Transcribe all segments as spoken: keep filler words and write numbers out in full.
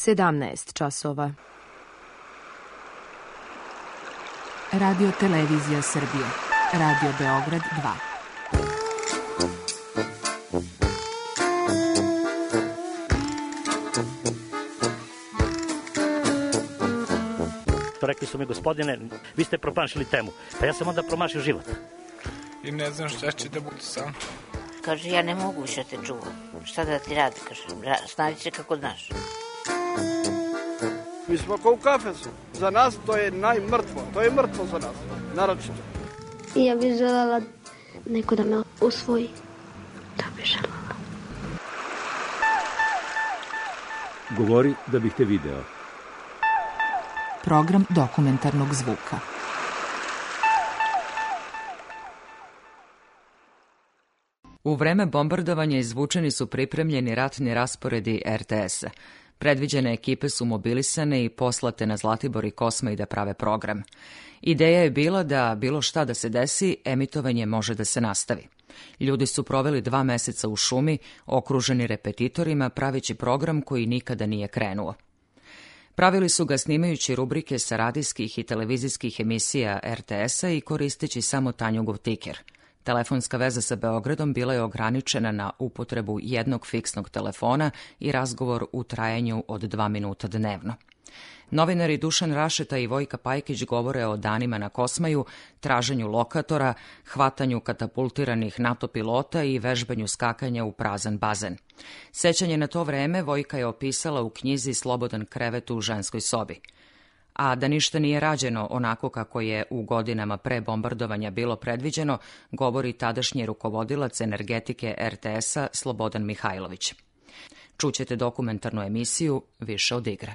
sedamnaest časova. Radio Televizija Srbije. Radio Beograd dva. Rekli su mi, gospodine, vi ste promašili temu. Pa ja sam onda promašio život. I ne znam šta će da budu sam. Kaže, ja ne mogu više te čuvam. Šta da ti radi? Kaže, snađi se kako znaš. Mi smo kao u kafesu. Za nas to je najmrtvo. To je mrtvo za nas. Naročito. I ja bih želela neko da me usvoji. Da bih želela. Govori da bih te video. Program dokumentarnog zvuka. U vreme bombardovanja izvučeni su pripremljeni ratni rasporedi er te esa. Predviđene ekipe su mobilisane i poslate na Zlatibor i Kosmaj da prave program. Ideja je bila da bilo šta da se desi, emitovanje može da se nastavi. Ljudi su proveli dva meseca u šumi, okruženi repetitorima, praveći program koji nikada nije krenuo. Pravili su ga snimajući rubrike sa radijskih i televizijskih emisija er te esa i koristeći samo Tanjugov tiker. Telefonska veza sa Beogradom bila je ograničena na upotrebu jednog fiksnog telefona i razgovor u trajanju od dva minuta dnevno. Novinari Dušan Rašeta i Vojka Pajkić govore o danima na Kosmaju, traženju lokatora, hvatanju katapultiranih NATO pilota i vežbanju skakanja u prazan bazen. Sećanje na to vreme Vojka je opisala u knjizi Slobodan krevet u ženskoj sobi. A da ništa nije rađeno onako kako je u godinama pre bombardovanja bilo predviđeno, govori tadašnji rukovodilac energetike er te esa Slobodan Mihajlović. Čućete dokumentarnu emisiju Više od igre.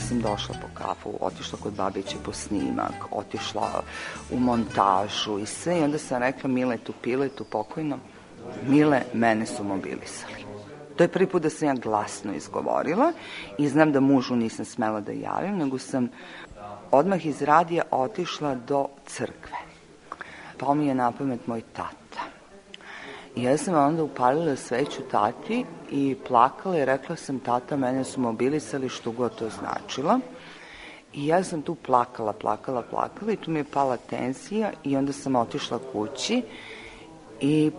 Sam došla po kafu, otišla kod babiće po snimak, otišla u montažu i sve. I onda sam rekla Miletu Piletu pokojno, Mile, mene su mobilisali. To je prvi put da sam ja glasno izgovorila i znam da mužu nisam smela da javim, nego sam odmah iz radija otišla do crkve. Pa mi je na pamet moj tata. I ja sam onda upalila sveću tati i plakala i rekla sam, tata, mene su mobilisali, što god to značilo. I ja sam tu plakala, plakala, plakala i tu mi je pala tenzija i onda sam otišla kući i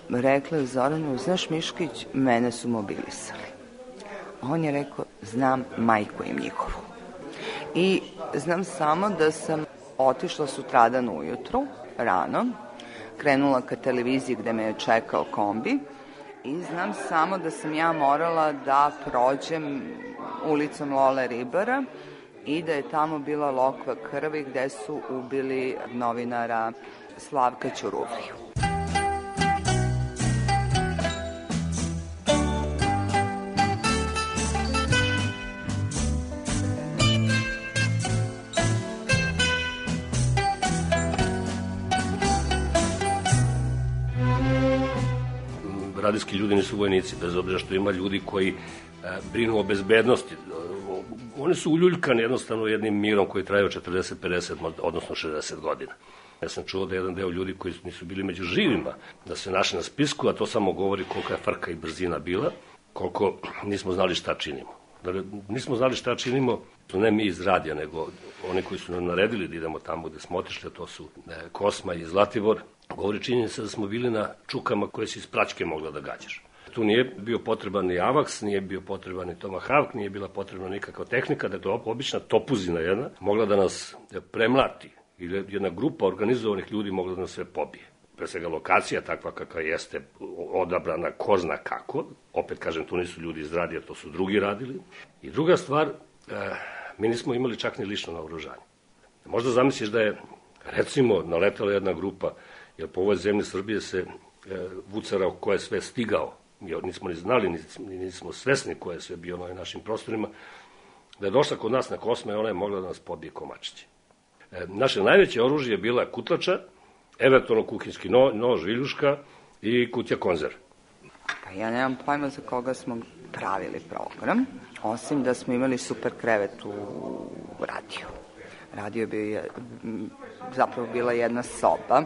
rekla je Zoranu, znaš Miškić, mene su mobilisali. On je rekao, znam majku im njihovu. I znam samo da sam otišla sutradan ujutru, rano, krenula ka televiziji gde me je čekao kombi i znam samo da sam ja morala da prođem ulicom Lole Ribara i da je tamo bila lokva krvi gde su ubili novinara Slavka Ćuruvliju. Radijski ljudi nisu vojnici, bez obzira što ima ljudi koji e, brinu o bezbednosti. Oni su uljuljkani jednostavno jednim mirom koji traje od četrdeset, pedeset, odnosno šezdeset godina. Ja sam čuo da jedan deo ljudi koji nisu bili među živima, da se našli na spisku, a to samo govori kolika je frka i brzina bila, koliko nismo znali šta činimo. Da nismo znali šta činimo, to ne mi iz radija, nego oni koji su nam naredili da idemo tamo gde smo otišli, to su e, Kosmaj i Zlatibor, govori činjenica da smo bili na čukama koje si iz praćke mogla da gađaš. Tu nije bio potreban ni AVAX, nije bio potreban ni Tomahawk, nije bila potrebna nikakva tehnika, da je to obična topuzina jedna, mogla da nas premlati ili jedna grupa organizovanih ljudi mogla da nas sve pobije. Pre svega lokacija takva kakva jeste odabrana ko zna kako, opet kažem, tu nisu ljudi iz radija, to su drugi radili. I druga stvar, eh, mi nismo imali čak ni lično naoružanje. Možda zamisliš da je, recimo, naletala jedna grupa, jer po ovoj zemlji Srbije se e, vucarao ko je sve stigao, mi nismo ni znali, ni nismo svesni ko je sve bio na našim prostorima, da je došla kod nas na Kosmaj, ona je mogla da nas pobije komačići. E, naše najveće oružje je bila kutlača, eventualno kuhinjski no, nož, viljuška i kutija konzerv. Pa ja nemam pojma za koga smo pravili program, osim da smo imali super krevet u radiju. Radio je bio, zapravo bila jedna soba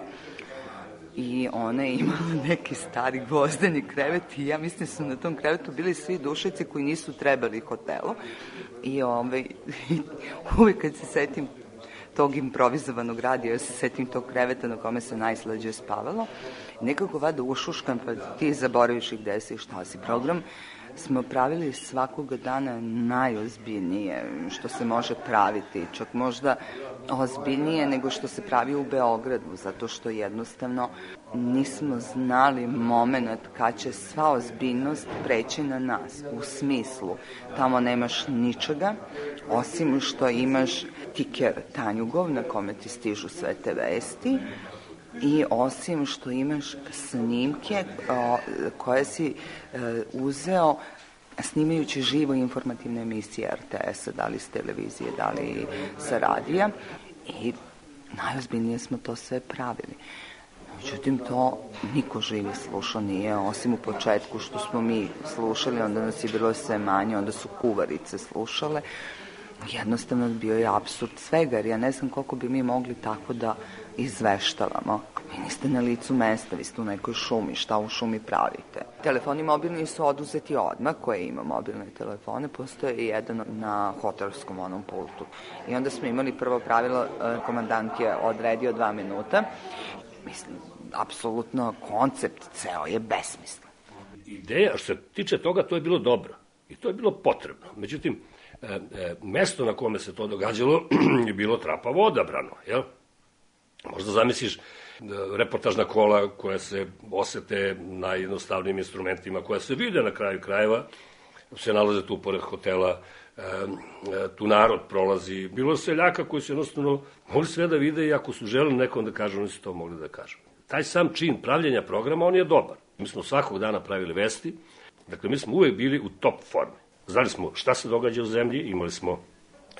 i ona je imala neki stari gvozdeni krevet i ja mislim su na tom krevetu bili svi dušeci koji nisu trebali hotelu i ovaj, uvijek kad se setim tog improvizovanog radija, ja se setim tog kreveta na kome se najslađe spavalo, nekako vada ušuškam, pa ti zaboraviš i gde si i šta si. Program smo pravili svakoga dana najozbiljnije što se može praviti, čak možda ozbiljnije nego što se pravi u Beogradu, zato što jednostavno nismo znali moment kad će sva ozbiljnost preći na nas, u smislu tamo nemaš ničega, osim što imaš tiker Tanjugov na kome ti stižu sve te vesti i osim što imaš snimke o, koje si e, uzeo snimajući živo informativne emisije er te esa, da li s televizije, da li sa radija i najozbiljnije smo to sve pravili. Međutim, to niko živi slušao nije, osim u početku što smo mi slušali, onda nas je bilo sve manje, onda su kuvarice slušale. Jednostavno bio je apsurd svega, jer ja ne znam koliko bi mi mogli tako da izveštavamo. Vi niste na licu mesta, vi ste u nekoj šumi, šta u šumi pravite? Telefoni mobilni su oduzeti odmah, koje ima mobilne telefone, postoje i jedan na hotelskom onom pultu. I onda smo imali prvo pravilo, komandant je odredio dva minuta. Mislim, apsolutno koncept ceo je besmislen. Ideja, što se tiče toga, to je bilo dobro i to je bilo potrebno. Međutim, e, e, mesto na kome se to događalo je bilo trapavo odabrano, jel? Možda zamisliš reportažna kola koja se osete najjednostavnijim instrumentima, koja se vide na kraju krajeva, se nalaze tu pored hotela, e, e, tu narod prolazi. Bilo je seljaka koji su jednostavno mogli sve da vide i ako su želeli nekom da kažu, oni su to mogli da kažu. Taj sam čin pravljenja programa, on je dobar. Mi smo svakog dana pravili vesti, dakle mi smo uvek bili u top formi. Znali smo šta se događa u zemlji, imali smo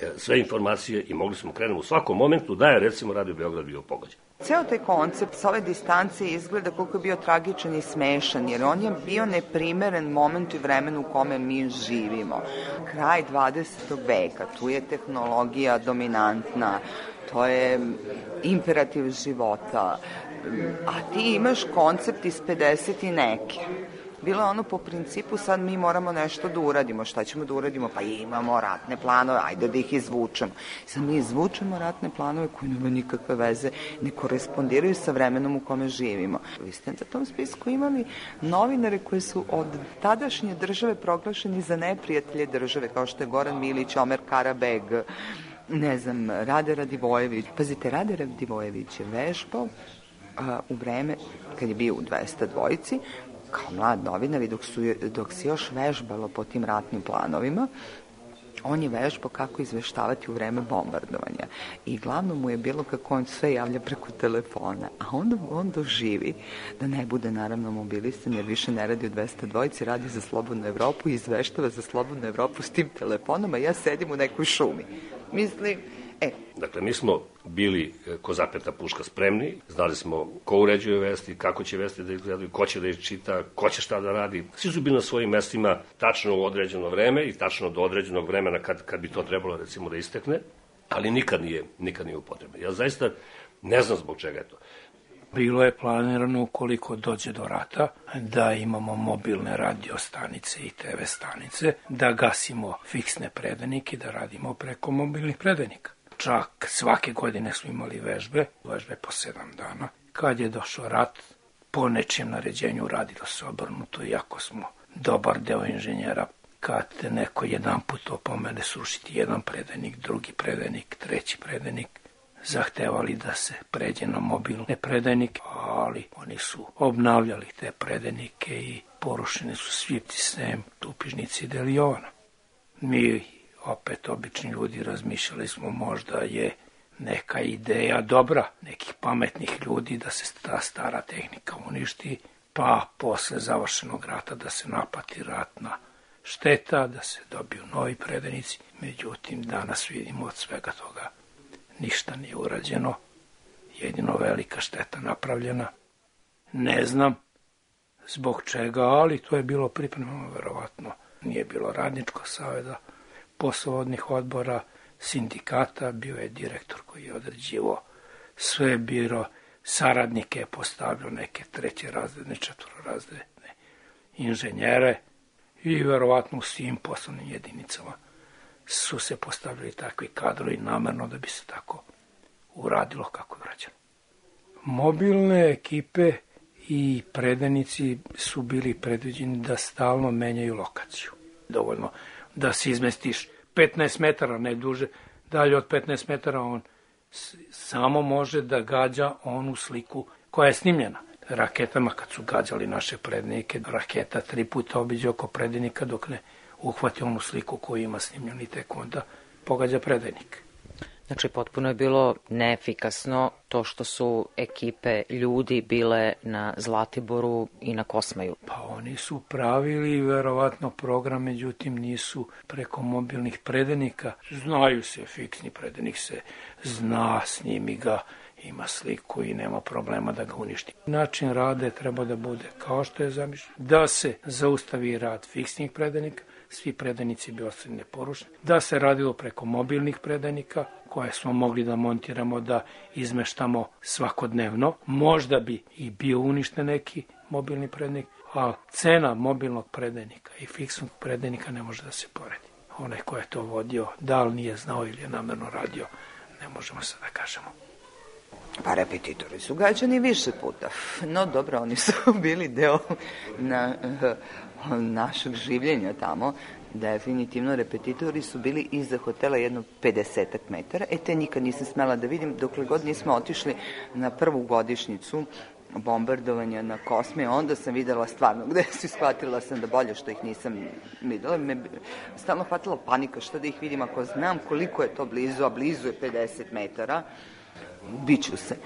e, sve informacije i mogli smo krenemo u svakom momentu da je recimo Radio Beograd bio pogođen. Ceo taj koncept sa ove distance izgleda koliko je bio tragičan i smešan, jer on je bio neprimeren moment i vremenu u kome mi živimo. Kraj dvadesetog veka, tu je tehnologija dominantna, to je imperativ života, a ti imaš koncept iz pedeset i neke. Bilo je ono po principu sad mi moramo nešto da uradimo. Šta ćemo da uradimo? Pa imamo ratne planove, ajde da ih izvučemo. Sad mi izvučemo ratne planove koji nema nikakve veze, ne korespondiraju sa vremenom u kome živimo. Vi ste na tom spisku imali novinare koji su od tadašnje države proglašeni za neprijatelje države, kao što je Goran Milić, Omer Karabeg, ne znam, Rade Radivojević. Pazite, Rade Radivojević je vežbao a, u vreme kad je bio u dvesta dvojici, kao mlad novinar i dok, su, dok se još vežbalo po tim ratnim planovima, on je vežbao kako izveštavati u vreme bombardovanja. I glavno mu je bilo kako on sve javlja preko telefona. A onda on doživi da ne bude naravno mobilisan, jer više ne radi u dvesta dvojici, radi za Slobodnu Evropu i izveštava za Slobodnu Evropu s tim telefonom, a ja sedim u nekoj šumi. Mislim, e. Dakle, mi smo bili ko zapeta puška spremni, znali smo ko uređuje vesti, kako će vesti da izgledaju, ko će da ih čita, ko će šta da radi. Svi su bili na svojim mestima tačno u određeno vreme i tačno do određenog vremena kad, kad bi to trebalo recimo da istekne, ali nikad nije, nikad nije upotrebno. Ja zaista ne znam zbog čega je to. Bilo je planirano ukoliko dođe do rata da imamo mobilne radio stanice i te ve stanice, da gasimo fiksne predenike, da radimo preko mobilnih predenika. Čak svake godine smo imali vežbe, vežbe po sedam dana. Kad je došao rat, po nečijem naređenju radilo se obrnuto, iako smo dobar deo inženjera. Kad te neko jedan put opomene srušiti jedan predenik, drugi predenik, treći predenik, zahtevali da se pređe na mobilne predenike, ali oni su obnavljali te predenike i porušeni su svi sem Tupižnici i Delijovana. Mi, opet obični ljudi, razmišljali smo možda je neka ideja dobra, nekih pametnih ljudi da se ta stara tehnika uništi, pa posle završenog rata da se naplati ratna šteta, da se dobiju novi predenici. Međutim, danas vidimo od svega toga ništa nije urađeno, jedino velika šteta napravljena. Ne znam zbog čega, ali to je bilo pripremano verovatno. Nije bilo radničkog saveza, poslovodnih odbora, sindikata, bio je direktor koji je određivao sve biro, saradnike je postavljao neke treće razredne, četvororazredne inženjere i verovatno u svim poslovnim jedinicama su se postavljali takvi kadrovi namerno da bi se tako uradilo kako je urađeno. Mobilne ekipe i predajnici su bili predviđeni da stalno menjaju lokaciju. Dovoljno da se izmestiš petnaest metara, ne duže, dalje od petnaest metara on samo može da gađa onu sliku koja je snimljena. Raketama kad su gađali naše predajnike, raketa tri puta obiđe oko predajnika dok ne uhvati onu sliku koju ima snimljenu i tek onda pogađa predajnik. Znači, potpuno je bilo neefikasno to što su ekipe ljudi bile na Zlatiboru i na Kosmaju. Pa oni su pravili verovatno program, međutim nisu preko mobilnih predajnika. Znaju se, fiksni predajnik se zna, snimi ga, ima sliku i nema problema da ga uništi. Način rada treba da bude kao što je zamišljeno, da se zaustavi rad fiksnih predajnika, svi predajnici bi ostali neporušeni, da se radilo preko mobilnih predajnika, koje smo mogli da montiramo, da izmeštamo svakodnevno. Možda bi i bio uništen neki mobilni predajnik, a cena mobilnog predajnika i fiksnog predajnika ne može da se poredi. Onaj ko je to vodio, da li nije znao ili je namerno radio, ne možemo sad da kažemo. Pa repetitori su gađani više puta. No dobro, oni su bili deo na, našeg življenja tamo. Definitivno repetitori su bili iza hotela jedno pedesetak metara. E, te nikad nisam smela da vidim dokle god nismo otišli na prvu godišnjicu bombardovanja na Kosme. Onda sam videla stvarno gde su, shvatila sam da bolje što ih nisam videla. Me stalno hvatila panika šta da ih vidim ako znam koliko je to blizu, a blizu je pedeset metara. Biću se.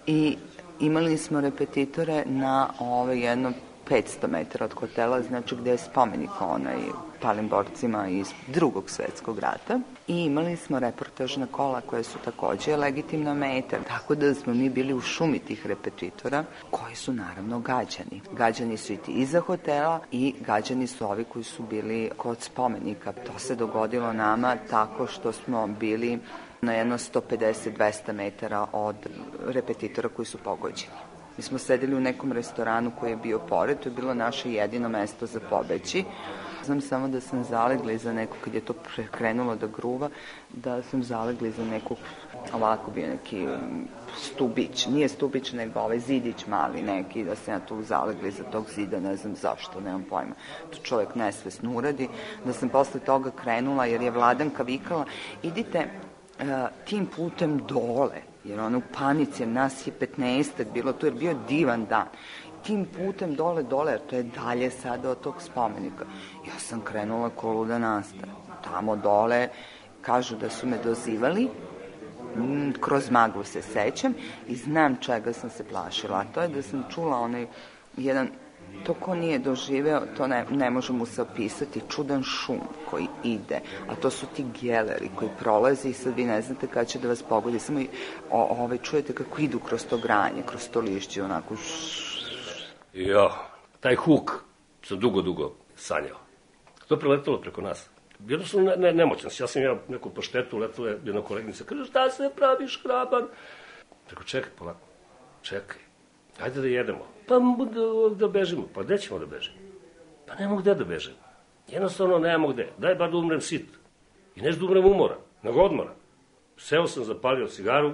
I imali smo repetitore na ove jedno petsto metara od hotela, znači gde je spomenik onaj palim borcima iz drugog svetskog rata. I imali smo reportažna kola koje su takođe legitimna meta. Tako da smo mi bili u šumi tih repetitora koji su naravno gađani. Gađani su i ti iza hotela i gađani su ovi koji su bili kod spomenika. To se dogodilo nama tako što smo bili na jedno sto pedeset do dvesta metara od repetitora koji su pogođeni. Mi smo sedeli u nekom restoranu koji je bio pored, to je bilo naše jedino mesto za pobeći. Znam samo da sam zalegla iza nekog, kad je to krenulo da gruva, da sam zalegla iza nekog, ovako bio neki stubić, nije stubić nego ovaj zidić mali neki, da sam ja tu zalegla iza tog zida, ne znam zašto, nemam pojma. To čovjek nesvesno uradi, da sam posle toga krenula jer je Vladanka vikala, idite tim putem dole, jer ono u panici, jer nas je petnaestak bilo tu, jer bio divan dan. Tim putem dole, dole, jer to je dalje sada od tog spomenika. Ja sam krenula ko luda nastava. Tamo dole, kažu da su me dozivali, kroz maglu se sećam i znam čega sam se plašila. A to je da sam čula onaj jedan, to ko nije doživeo, to ne, ne može mu se opisati, čudan šum koji ide, a to su ti geleri koji prolaze i sad vi ne znate kada će da vas pogodi, samo i, o, ove, čujete kako idu kroz to granje, kroz to lišće, onako. Jo, taj huk sam dugo, dugo sanjao. To je preletalo preko nas. Jedno sam ne, ne, nemoćan, ja sam ja neku poštetu, letala je jedna kolegnica, kaže, šta se praviš, hraban? Preko, čekaj, polako, čekaj, ajde da jedemo. Pa da, da bežimo. Pa gde ćemo da bežimo? Pa nemamo gde da bežimo. Jednostavno nemamo gde. Daj bar da umrem sit. I neću da umrem umora, nego odmora. Seo sam, zapalio cigaru,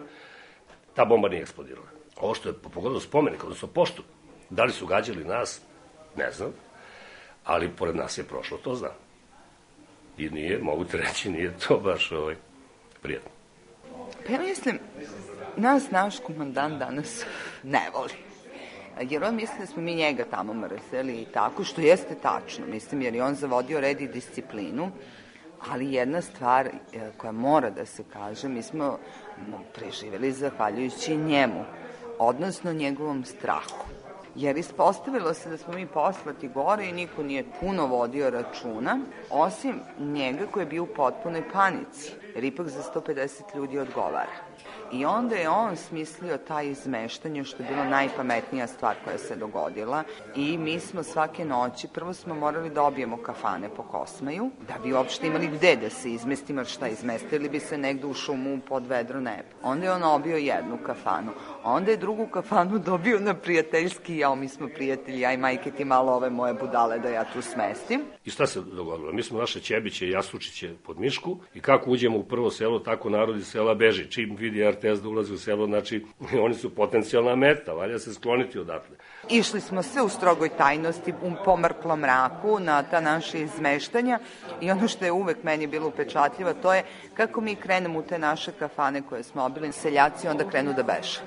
ta bomba nije eksplodirala. Ovo što je pogodilo spomenik, odnosno poštu, da li su gađali nas, ne znam, ali pored nas je prošlo, to znam. I nije, mogu te reći, nije to baš ovaj, prijatno. Pa ja mislim, nas naš komandant danas ne voli. Jer on misli da smo mi njega tamo mrzeli i tako, što jeste tačno, mislim, jer je on zavodio red i disciplinu, ali jedna stvar koja mora da se kaže, mi smo preživeli zahvaljujući njemu, odnosno njegovom strahu. Jer ispostavilo se da smo mi poslati gore i niko nije puno vodio računa, osim njega koji je bio u potpunoj panici, jer ipak za sto pedeset ljudi odgovara. I onda je on smislio taj izmeštanje, što je bila najpametnija stvar koja se dogodila. I mi smo svake noći, prvo smo morali da obijemo kafane po Kosmaju, da bi uopšte imali gde da se izmestimo, šta izmestili bi se negde u šumu pod vedro nebo. Onda je on obio jednu kafanu, onda je drugu kafanu dobio na prijateljski, jao, mi smo prijatelji, ja i majke ti malo ove moje budale da ja tu smestim. I šta se dogodilo? Mi smo naše Ćebiće i Jasučiće pod Mišku i kako uđemo u prvo selo, tako narod iz sela beži. Čim vidi R T S da ulazi u selo, znači oni su potencijalna meta, valja se skloniti odatle. Išli smo sve u strogoj tajnosti, u pomrklom mraku na ta naše izmeštanja i ono što je uvek meni bilo upečatljivo, to je kako mi krenemo u te naše kafane koje smo obili, seljaci onda krenu da beže.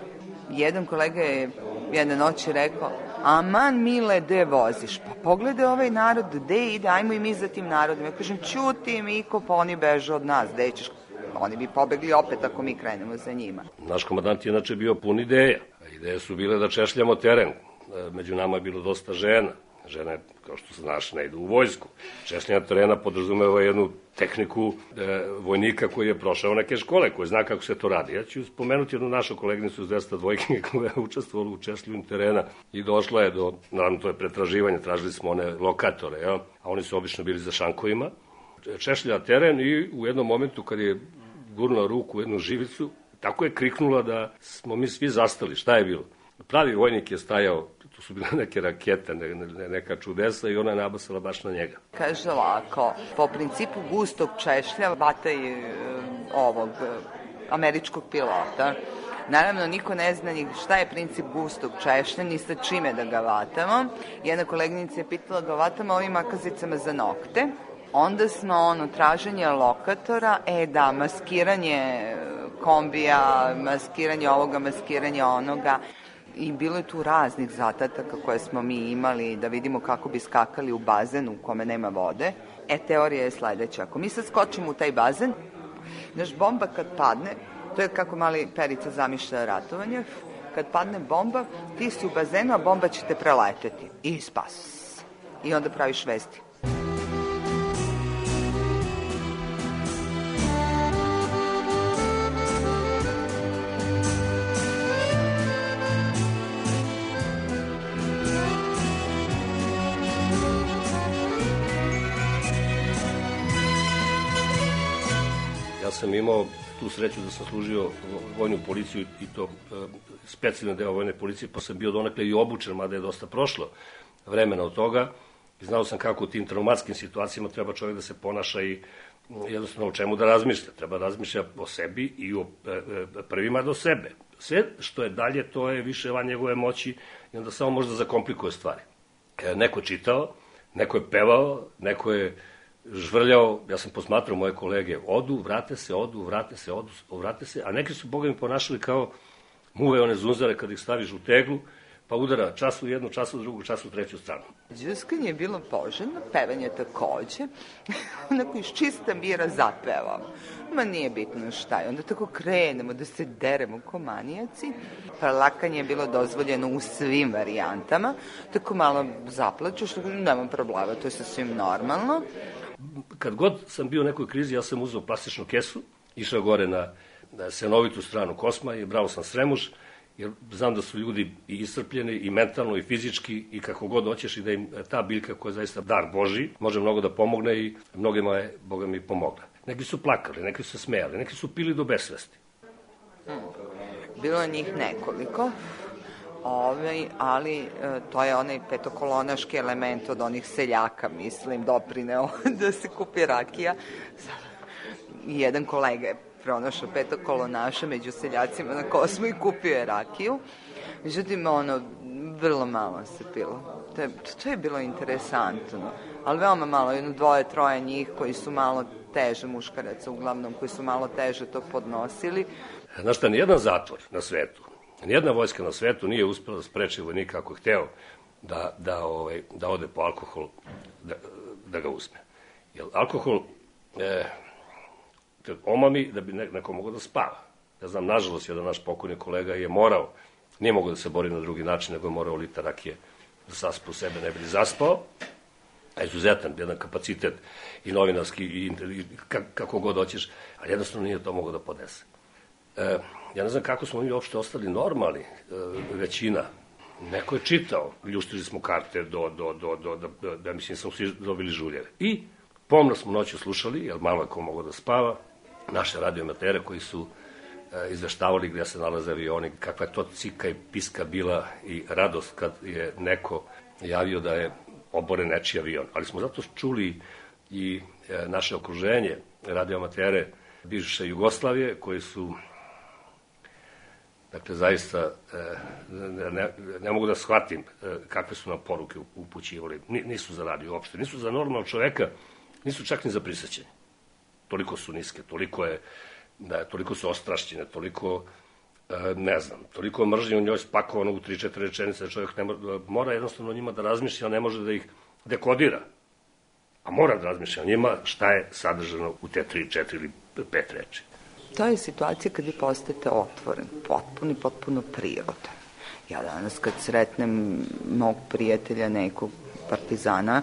Jedan kolega je jedne noći rekao, aman Mile, gde voziš? Pa pogledaj ovaj narod, gde ide, ajmo i mi za tim narodom. Ja kažem, ćuti Miko, pa oni beže od nas, gde ćeš? Oni bi pobegli opet ako mi krenemo za njima. Naš komandant je inače bio pun ideja. Ideje su bile da češljamo teren. Među nama je bilo dosta žena. Žene, kao što znaš, ne idu u vojsku. Češljanje terena podrazumeva jednu tehniku e, vojnika koji je prošao neke škole, koji zna kako se to radi. Ja ću spomenuti jednu našu kolegnicu iz dvesta dvojke koja je učestvovala u češljanju terena i došla je do, naravno to je pretraživanje, tražili smo one lokatore, ja? A oni su obično bili za šankovima. Češlja teren i u jednom momentu kad je gurnula ruku u jednu živicu, tako je kriknula da smo mi svi zastali. Šta je bilo? Pravi vojnik je stajao, tu su bile neke rakete, ne, ne, neka čudesa i ona je nabasala baš na njega. Kaže ovako, po principu gustog češlja vataj e, ovog e, američkog pilota. Naravno, niko ne zna ni šta je princip gustog češlja, ni sa čime da ga vatamo. Jedna koleginica je pitala da vatamo ovim makazicama za nokte. Onda smo, ono, traženje lokatora, e da, maskiranje kombija, maskiranje ovoga, maskiranje onoga. I bilo je tu raznih zadataka koje smo mi imali da vidimo kako bi skakali u bazen u kome nema vode. E, teorija je sledeća. Ako mi sad skočimo u taj bazen, naš bomba kad padne, to je kako mali Perica zamišlja ratovanje, kad padne bomba, ti si u bazenu, a bomba će te preleteti. I spas. I onda praviš vesti. Sam imao tu sreću da sam služio vojnu policiju i to e, specijalni deo vojne policije, pa sam bio donekle i obučen, mada je dosta prošlo vremena od toga. I znao sam kako u tim traumatskim situacijama treba čovjek da se ponaša i jednostavno o čemu da razmišlja. Treba da razmišlja o sebi i o e, e, prvima do sebe. Sve što je dalje, to je više van njegove moći i onda samo može da zakomplikuje stvari. E, neko je čitao, neko je pevao, neko je žvrljao, ja sam posmatrao moje kolege, odu, vrate se, odu, vrate se, odu, vrate se, a neki su, boga mi, ponašali kao muve one zunzare kad ih staviš u teglu, pa udara čas u jednu, čas u drugu, čas u treću stranu. Đuskanje je bilo poželjno, pevanje takođe, onako iz čista mira zapevamo. Ma nije bitno šta je, onda tako krenemo da se deremo ko manijaci. Plakanje je bilo dozvoljeno u svim varijantama, tako malo zaplaču, što nema problema, to je sasvim normalno. Kad god sam bio u nekoj krizi, ja sam uzeo plastičnu kesu, išao gore na, na senovitu stranu Kosma i brao sam sremuš, jer znam da su ljudi i iscrpljeni, i mentalno, i fizički, i kako god hoćeš, i da im ta biljka koja je zaista dar Boži, može mnogo da pomogne i mnogima je, Boga mi, pomogla. Neki su plakali, neki su se smejali, neki su pili do besvesti. Hmm. Bilo je njih nekoliko, Ove, ali e, to je onaj petokolonaški element od onih seljaka, mislim, doprineo da se kupi rakija. Jedan kolega je pronašao petokolonaša među seljacima na Kosmu i kupio je rakiju. Međutim, ono, vrlo malo se pilo. To je, to je bilo interesantno, ali veoma malo, jedno dvoje, troje njih koji su malo teže, muškaraca uglavnom, koji su malo teže to podnosili. Znaš šta, nijedan zatvor na svetu, nijedna vojska na svetu nije uspela da spreči vojnika ako je hteo da, da, ovaj, da ode po alkohol, da, da ga uzme. Jer alkohol e, omami da bi neko mogao da spava. Ja znam, nažalost, jedan naš pokojni kolega je morao, nije mogao da se bori na drugi način, nego je morao lita rakije da saspa u sebe, ne bi li zaspao. A izuzetan, jedan kapacitet i novinarski, i, i kako god hoćeš, ali jednostavno nije to mogao da podese. E, ja ne znam kako smo mi uopšte ostali normalni, e, većina. Neko je čitao, ljuštili smo karte do, do, do, do, do, do da mislim smo svi dobili žuljeve. I pomno smo noću slušali, jer malo je ko mogao da spava, naše radioamatere koji su e, izveštavali gde se nalaze avioni, kakva je to cika i piska bila i radost kad je neko javio da je oboren nečiji avion. Ali smo zato čuli i e, naše okruženje, radioamatere bivše Jugoslavije, koji su, dakle, zaista ne, ne, ne mogu da shvatim kakve su nam poruke upućivali. Nisu za radio uopšte, nisu za normalnog čoveka, nisu čak ni za prisećenje. Toliko su niske, toliko je, da, toliko su ostrašćene, toliko, ne znam, toliko mržnje u njoj spakovano u tri četiri rečenice, čovjek ne mora, mora jednostavno njima da razmišlja, ne može da ih dekodira. A mora da razmišlja njima šta je sadržano u te tri, četiri ili pet reči. To je situacija kad vi postajete otvoren, potpuno i potpuno prirodan. Ja danas kad sretnem mog prijatelja, nekog partizana,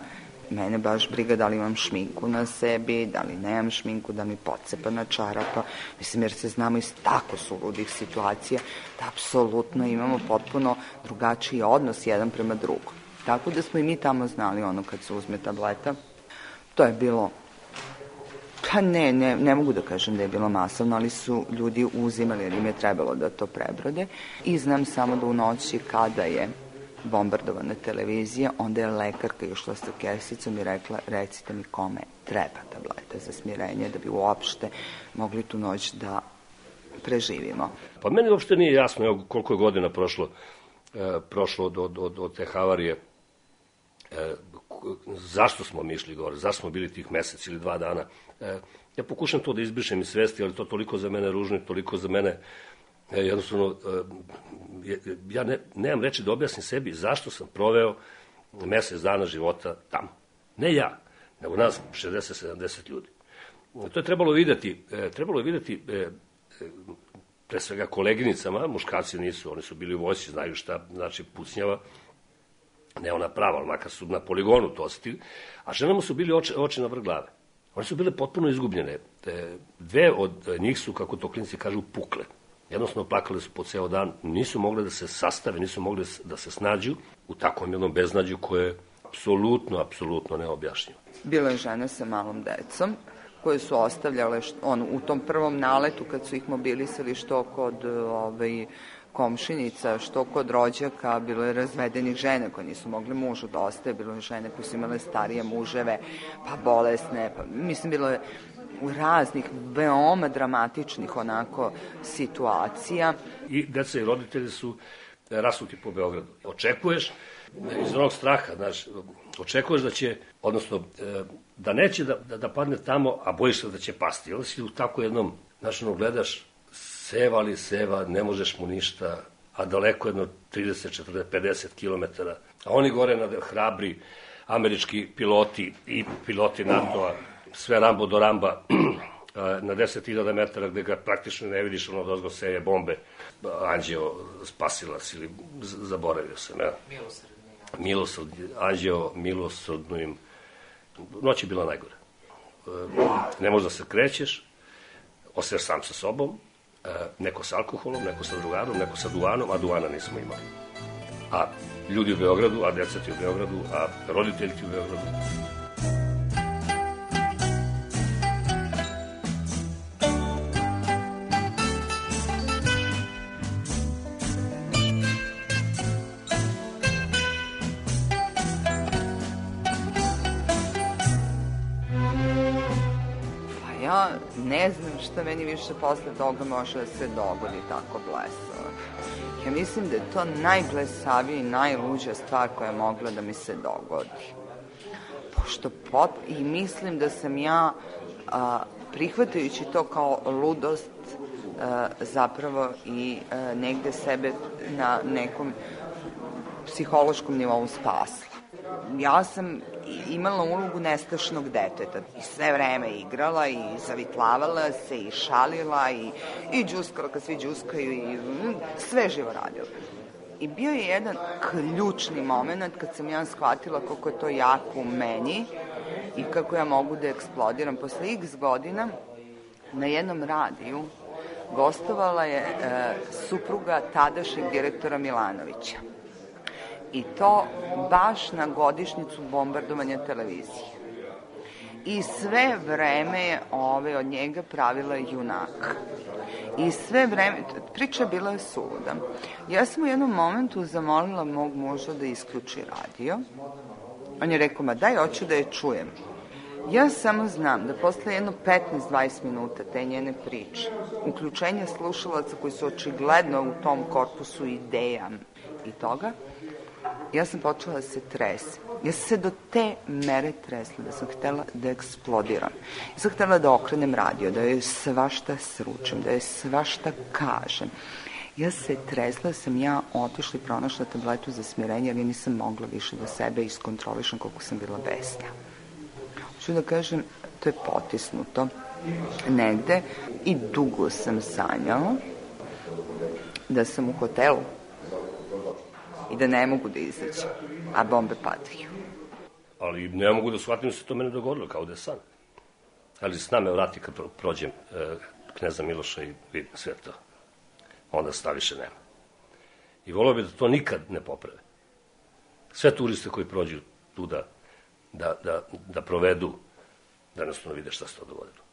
mene baš briga da li imam šminku na sebi, da li nemam šminku, da li mi pocepana čarapa. Mislim, jer se znamo iz tako suludih situacija da apsolutno imamo potpuno drugačiji odnos jedan prema drugom. Tako da smo i mi tamo znali ono kad se uzme tableta. To je bilo, pa ne, ne, ne mogu da kažem da je bilo masovno, ali su ljudi uzimali jer im je trebalo da to prebrode. I znam samo da u noći kada je bombardovana televizija, onda je lekarka išla sa kesicom i rekla, recite mi kome treba tableta za smirenje da bi uopšte mogli tu noć da preživimo. Pa meni uopšte nije jasno evo, koliko je godina prošlo, e, prošlo od, od, od, od te havarije. E, zašto smo mi išli gore, zašto smo bili tih mesec ili dva dana. E, ja pokušam to da izbrišem iz svesti, ali to toliko za mene ružno i toliko za mene e, jednostavno, e, ja ne, nemam reči da objasnim sebi zašto sam proveo mesec dana života tamo. Ne ja, nego nas šezdeset sedamdeset ljudi. To je trebalo videti, e, trebalo je videti e, pre svega koleginicama, muškarci nisu, oni su bili u vojsci, znaju šta znači pucnjava, ne ona prava, ali makar su na poligonu to osetili, a ženama su bili oči, oči na vrh glave. One su bile potpuno izgubljene. Dve od njih su, kako to klinici kažu, pukle. Jednostavno plakale su po ceo dan, nisu mogle da se sastave, nisu mogle da se snađu u takvom jednom beznađu koje je apsolutno, apsolutno neobjašnjivo. Bilo je žene sa malom decom koje su ostavljale što, on, u tom prvom naletu kad su ih mobilisali što kod ovaj, komšinica, što kod rođaka, bilo je razvedenih žene koje nisu mogli mužu da ostaje, bilo je žene koje su imale starije muževe, pa bolesne, pa, mislim, bilo je raznih veoma dramatičnih onako situacija. I deca i roditelji su rasuti po Beogradu. Očekuješ iz onog straha, znaš, očekuješ da će, odnosno, da neće da, da, da padne tamo, a bojiš se da će pasti. Onda si u tako jednom, znaš, ono, gledaš, seva li seva, ne možeš mu ništa, a daleko jedno trideset, četrdeset, pedeset kilometara. A oni gore na hrabri američki piloti i piloti NATO-a, sve Rambo do Ramba, na deset hiljada metara gde ga praktično ne vidiš, ono dozgo seje bombe. Anđeo spasilac ili zaboravio se, ne? Milosrdni. Milosrdni, Anđeo milosrdno im. Noć je bila najgore. Ne možeš da se krećeš, ostaješ sam sa sobom, neko sa alkoholom, neko sa drugarom, neko sa duvanom, a duvana nismo imali. A ljudi u Beogradu, a deca ti u Beogradu, a roditelji ti u Beogradu. Ja ne znam šta meni više posle toga može da se dogodi tako blesavo. Ja mislim da je to najblesavija i najluđa stvar koja je mogla da mi se dogodi. Pošto pot... I mislim da sam ja, a, prihvatajući to kao ludost, a, zapravo i a, negde sebe na nekom psihološkom nivou spasla. Ja sam imala ulogu nestašnog deteta i sve vreme igrala i zavitlavala se i šalila i, i džuskala kad svi džuskaju i sve živo radila. I bio je jedan ključni moment kad sam ja shvatila koliko je to jako u meni i kako ja mogu da eksplodiram. Posle x godina na jednom radiju gostovala je e, supruga tadašnjeg direktora Milanovića. I to baš na godišnjicu bombardovanja televizije. I sve vreme je ove od njega pravila junak. I sve vreme, priča bila je suluda. Ja sam u jednom momentu zamolila mog muža da isključi radio. On je rekao, ma daj, hoću da je čujem. Ja samo znam da posle jedno petnaest do dvadeset minuta te njene priče, uključenja slušalaca koji su očigledno u tom korpusu ideja i toga, ja sam počela da se tresem. Ja sam se do te mere tresla da sam htela da eksplodiram. Ja sam htela da okrenem radio, da joj svašta sručem, da joj svašta kažem. Ja se tresla, sam ja otišla i pronašla tabletu za smirenje, jer ja nisam mogla više da sebe iskontrolišem koliko sam bila besna. Hoću da kažem, to je potisnuto negde i dugo sam sanjala da sam u hotelu i da ne mogu da izađem, a bombe padaju. Ali ne mogu da shvatim da se to mene dogodilo, kao da je san. Ali sna me vrati kad prođem e, kneza Miloša i vidim sve to. Onda sta više nema. I volio bi da to nikad ne poprave. Sve turiste koji prođu tu da, da, da, da provedu, da jednostavno vide šta se to dogodilo.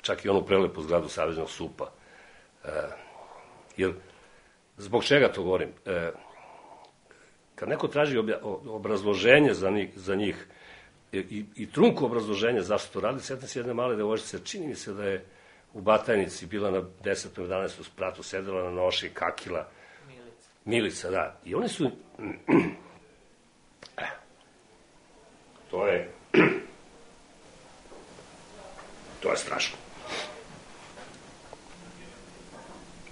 Čak i onu prelepu zgradu Saveznog supa. E, jer, zbog čega to govorim? E, kad neko traži obja, obrazloženje za njih, za njih i, i trunko obrazloženje zašto to radi, sjetim se jedne male devojčice, čini mi se da je u Batajnici bila na desetom jedanaestom spratu, sedela na noši, kakila. Milica. Milica, da. I oni su... to je... to je strašno.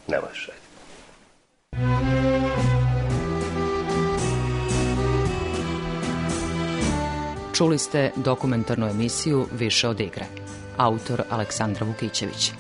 Ne možeš, ajde. Čuli ste dokumentarnu emisiju Više od igre. Autor Aleksandra Vukićević.